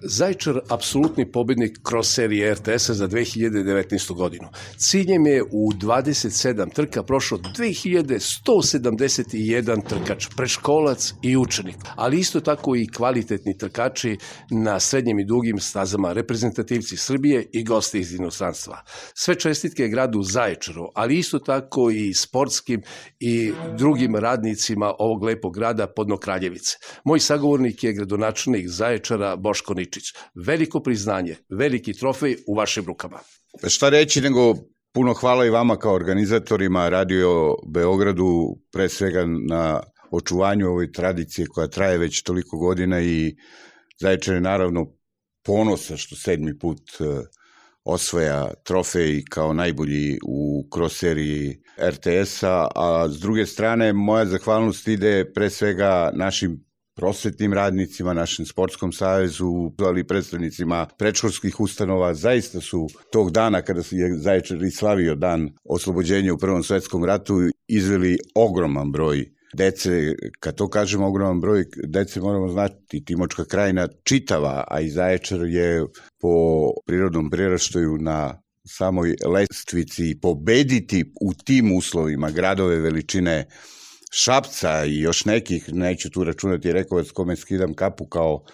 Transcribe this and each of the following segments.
Zaječar apsolutni pobednik kroz serije RTS-a za 2019. godinu. Ciljem je u 27 trka prošlo 2171 trkač, predškolac i učenik, ali isto tako i kvalitetni trkači na srednjim i dugim stazama, reprezentativci Srbije i gosti iz inostranstva. Sve čestitke gradu Zaječaru, ali isto tako i sportskim i drugim radnicima ovog lepog grada Podno Kraljevice. Moj sagovornik je gradonačelnik Zaječara Boško Ničić. Veliko priznanje, veliki trofej u vašim rukama. Šta reći nego puno hvala i vama kao organizatorima, Radio Beogradu, pre svega na očuvanju ove tradicije koja traje već toliko godina i Zaječar je naravno ponosa što 7. put osvaja trofej kao najbolji u cross seriji RTS-a, a s druge strane moja zahvalnost ide pre svega našim prosvetnim radnicima, našem sportskom savezu, ali i predstavnicima predškolskih ustanova. Zaista su tog dana kada je Zaječar i slavio dan oslobođenja u Prvom svetskom ratu izveli ogroman broj dece. Kad to kažemo ogroman broj dece, moramo znati Timočka krajina čitava, a i Zaječar je po prirodnom priraštaju na samoj lestvici pobediti u tim uslovima gradove veličine Šapca i još nekih, neću tu računati Rekovac kome skidam kapu kao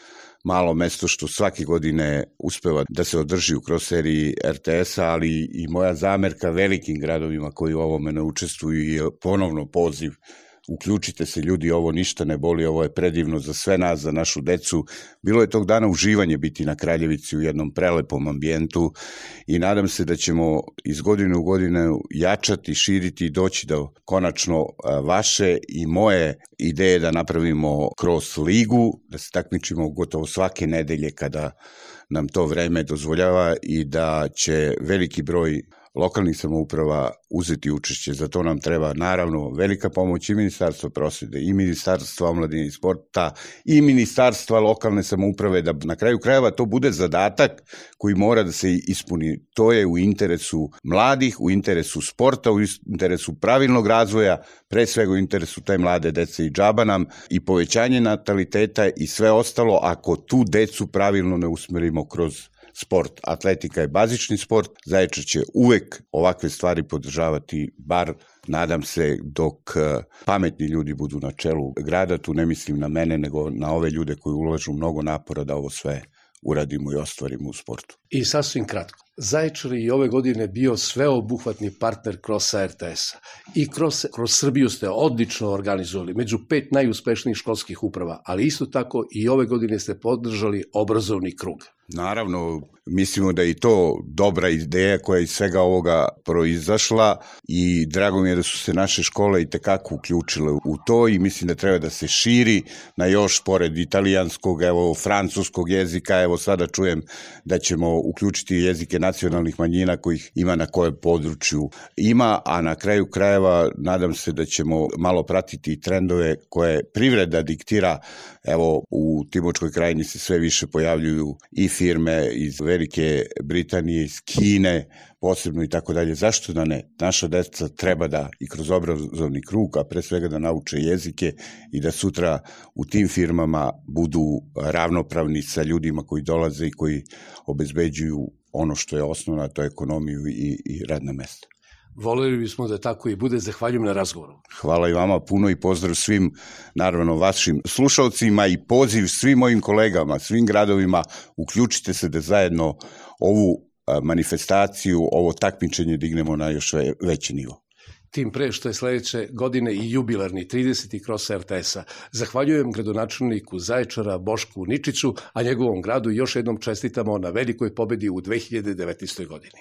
malo mesto što svake godine uspeva da se održi u cross seriji RTS-a, ali i moja zamerka velikim gradovima koji u ovome ne učestvuju i ponovno poziv. Uključite se ljudi, ovo ništa ne boli, ovo je predivno za sve nas, za našu decu. Bilo je tog dana uživanje biti na Kraljevici u jednom prelepom ambijentu i nadam se da ćemo iz godine u godinu jačati, širiti i doći do konačno vaše i moje ideje da napravimo cross ligu, da se takmičimo gotovo svake nedelje kada nam to vreme dozvoljava i da će veliki broj lokalnih samouprava uzeti učešće. Za to nam treba naravno velika pomoć i Ministarstva prosvete, i Ministarstva omladine i sporta, i Ministarstva lokalne samouprave, da na kraju krajeva to bude zadatak koji mora da se ispuni. To je u interesu mladih, u interesu sporta, u interesu pravilnog razvoja, pre svega u interesu te mlade dece i džaba nam i povećanje nataliteta i sve ostalo ako tu decu pravilno ne usmerimo kroz sport. Atletika je bazični sport, Zaječar će uvek ovakve stvari podržavati, bar nadam se dok pametni ljudi budu na čelu grada, tu ne mislim na mene nego na ove ljude koji ulažu mnogo napora da ovo sve uradimo i ostvarimo u sportu. I sasvim kratko, Zaječar je i ove godine bio sveobuhvatni partner kroz RTS-a i kroz Srbiju ste odlično organizovali, među 5 najuspešnijih školskih uprava, ali isto tako i ove godine ste podržali obrazovni krug. Naravno, mislimo da je i to dobra ideja koja je iz svega ovoga proizašla i drago mi je da su se naše škole i tekako uključile u to i mislim da treba da se širi na još pored italijanskog, evo francuskog jezika, evo sada čujem da ćemo uključiti jezike nacionalnih manjina kojih ima na kojem području ima, a na kraju krajeva nadam se da ćemo malo pratiti trendove koje privreda diktira. Evo u Timočkoj krajini se sve više pojavljuju i firme iz Velike Britanije, iz Kine, posebno i tako dalje. Zašto da ne? Naša deca treba da i kroz obrazovni krug, a pre svega da nauče jezike i da sutra u tim firmama budu ravnopravni sa ljudima koji dolaze i koji obezbeđuju ono što je osnovno, to je ekonomiju i radna mesta. Voleli bismo da tako i bude. Zahvaljujem na razgovoru. Hvala i vama puno i pozdrav svim, naravno, vašim slušalcima i poziv svim mojim kolegama, svim gradovima, uključite se da zajedno ovu manifestaciju, ovo takmičenje dignemo na još veći nivo. Tim pre što je sledeće godine i jubilarni 30. cross RTS-a. Zahvaljujem gradonačelniku Zaječara Bošku Ničiću, a njegovom gradu još jednom čestitamo na velikoj pobedi u 2019. godini.